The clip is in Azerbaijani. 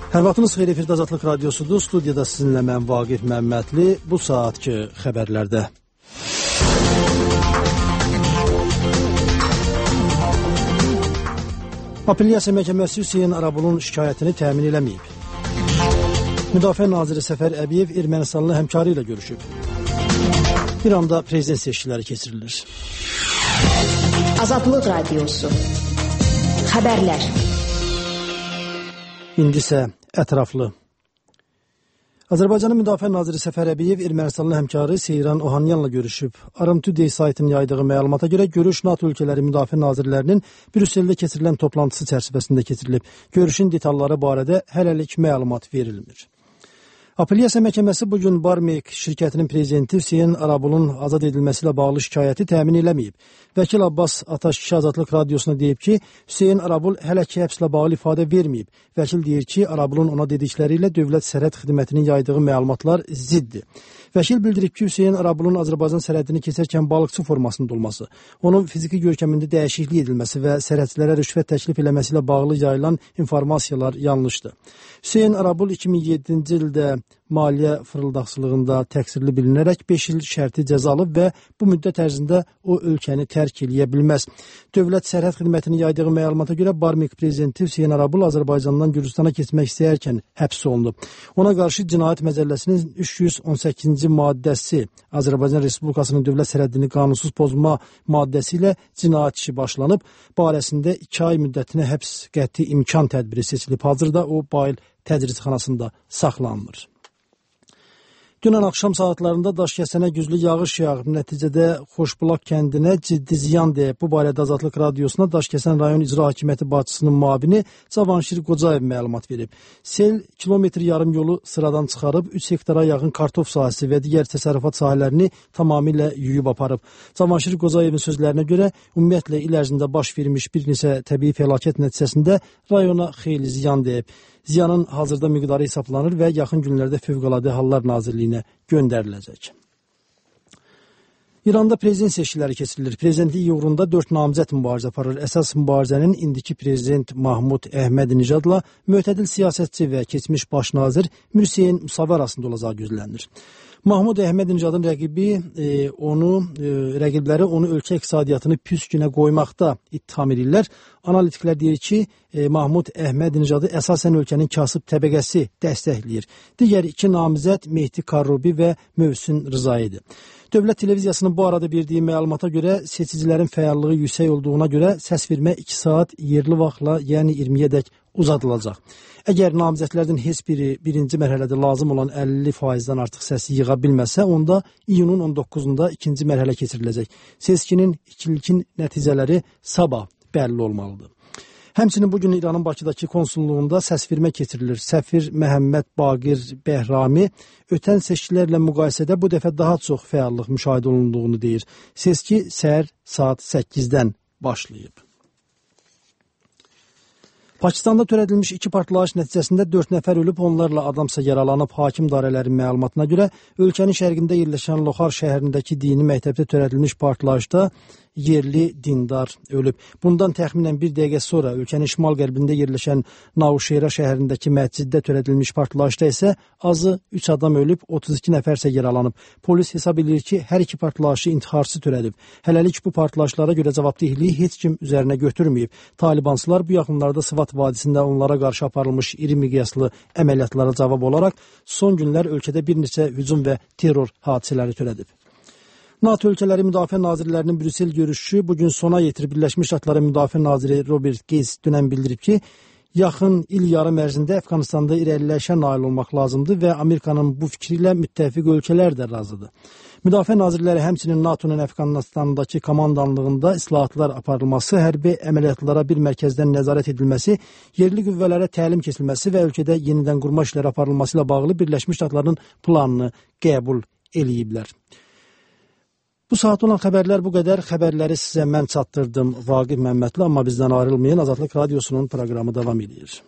Hər vaxtınız xeyir, efirdə Azadlıq Radiosudur. Studiyada sizinlə mən Vaqif Məmmədli. Bu saatki xəbərlərdə. Apellyasiya Məhkəməsi Hüseyn Arabulun şikayətini təmin eləməyib. Müdafiə Naziri Səfər Əbiyev Ermənistanlı həmkarı ilə görüşüb. İranda prezident seçkiləri keçirilir. Azadlıq Radiosu. Xəbərlər. İndi isə ətraflı. Azərbaycanın Müdafiə Naziri Səfər Əbiyev Ermənistanlı həmkarı Seyran Ohanyanla görüşüb. Aram Today saytının yaydığı məlumata görə görüş NATO ölkələri müdafiə nazirlərinin Brüsseldə keçirilən toplantısı çərçivəsində keçirilib. Görüşün detalları barədə hələlik məlumat verilmir. Apellyasiya Məhkəməsi bugün Barmeyk şirkətinin prezidenti Hüseyn Arabulun azad edilməsi ilə bağlı şikayəti təmin eləməyib. Vəkil Abbas Ataşkişi Azadlıq Radiosuna deyib ki, Hüseyn Arabul hələ ki həbslə bağlı ifadə verməyib. Vəkil deyir ki, Arabulun ona dedikləri ilə Dövlət Sərhəd Xidmətinin yaydığı məlumatlar ziddir. Vəkil bildirib ki, Hüseyn Arabulun Azərbaycan sərhədini keçərkən balıqçı formasında olması, onun fiziki görkəmində dəyişiklik edilməsi və sərhədçilərə rüşvət təklif eləməsi ilə bağlı yayılan informasiyalar yanlışdır. Hüseyn Arabul 2007-ci ildə maliyyə fırıldaqçılığında təqsirli bilinərək 5 il şərti cəza alıb və bu müddət ərzində o ölkəni tərk eləyə bilməz. Dövlət Sərhəd Xidmətinin yaydığı məlumata görə Barmeyk prezidenti Hüseyn Arabul Azərbaycandan Gürcüstana keçmək istəyərkən həbs olunub. Ona qarşı Cinayət Məcəlləsinin 318-ci maddəsi Azərbaycan Respublikasının dövlət sərhədini qanunsuz pozma maddəsi ilə cinayət işi başlanıb. Barəsində 2 ay müddətinə həbs qəti imkan tədbiri seçilib. Hazırda o Bayıl təcridxanasında saxlanılır. Dünən axşam saatlarında Daşkəsənə güclü yağış yağıb. Nəticədə Xoşbulaq kəndinə ciddi ziyan deyib. Bu barədə Azadlıq Radiosuna Daşkəsən rayon icra hakimiyyəti başçısının müavini Cavanşir Qocayev məlumat verib. Sel kilometr yarım yolu sıradan çıxarıb 3 hektara yaxın kartof sahəsi və digər təsərrüfat sahələrini tamamilə yuyub aparıb. Cavanşir Qocayevin sözlərinə görə ümumiyyətlə il ərzində baş vermiş bir neçə təbii fəlakət nəticəsində rayona xeyli ziyan deyib. Ziyanın hazırda miqdarı hesablanır və yaxın günlərdə Fövqəladə Hallar Nazirliyinə göndəriləcək. İranda prezident seçkiləri keçirilir. Prezidentlik uğrunda 4 namizəd mübarizə aparır. Əsas mübarizənin indiki prezident Mahmud Əhmədinəcadla mütədil siyasətçi və keçmiş baş nazir Mirhüseyn Musavi arasında olacağı gözlənilir. Mahmud Əhmədinəcadın rəqibləri onu ölkə iqtisadiyyatını püskünə qoymaqda ittiham edirlər. Analitiklər deyir ki, Mahmud Əhmədinecadı əsasən ölkənin kasıb təbəqəsi dəstəkləyir. Digər 2 namizəd Mehdi Karrubi və Mövsün Rızaidir. Dövlət televiziyasının bu arada verdiyi məlumata görə seçicilərin fəallığı yüksək olduğuna görə səsvermə 2 saat yerli vaxtla, yəni 20-yədək uzadılacaq. Əgər namizədlərdən heç biri birinci mərhələdə lazım olan 50%-dən artıq səsi yığa bilməsə, onda iyunun 19-unda ikinci mərhələ keçiriləcək. Seçkinin ilkin nəticələri sabah bəlli olmalıdır. Həmçinin bugün İranın Bakıdakı konsulluğunda səsvermə keçirilir. Səfir Məhəmməd Baqir Bəhrami ötən seçkilərlə müqayisədə bu dəfə daha çox fəallıq müşahidə olunduğunu deyir. Seçki səhər saat 8-dən başlayıb. Pakistanda törədilmiş 2 partlayış nəticəsində 4 nəfər ölüb, onlarla adamsa yaralanıb. Hakim dairələrin məlumatına görə ölkənin şərqində yerləşən Loxar şəhərindəki dini məktəbdə törədilmiş partlayışda yerli dindar ölüb. Bundan təxminən 1 dəqiqə sonra ölkənin şimal-qərbində yerləşən Navşehra şəhərindəki məsciddə törədilmiş partlayışda isə azı 3 adam ölüb, 32 nəfərsə yaralanıb. Polis hesab edir ki, hər 2 partlayışı intiharçı törədib. Hələlik bu partlayışlara görə cavabdehliyi heç kim üzərinə götürməyib. Talibansılar bu yaxınlarda Sıvat vadisində onlara qarşı aparılmış iri miqyaslı əməliyyatlara cavab olaraq son günlər ölkədə bir neçə hücum və terror hadisələri törədib. NATO ölkələri müdafiə nazirlərinin Brüssel görüşü bugün sona yetirib. Birləşmiş Ştatların müdafiə naziri Robert Gates dünən bildirib ki, yaxın il yarım ərzində Əfqanistanda irəliləyişə nail olmaq lazımdır və Amerikanın bu fikri ilə müttəfiq ölkələr də razıdır. Müdafiə nazirləri həmçinin NATO'nun Əfqanistandakı komandanlığında islahatlar aparılması, hərbi əməliyyatlara bir mərkəzdən nəzarət edilməsi, yerli qüvvələrə təlim keçilməsi və ölkədə yenidən qurma işləri aparılması ilə bağlı Birləşmiş Ştatların planını qəbul eləyiblər. Bu saat olan xəbərlər bu qədər. Xəbərləri sizə mən çatdırdım Vaqif Məmmədli, amma bizdən ayrılmayın. Azadlıq Radiosunun proqramı davam edir.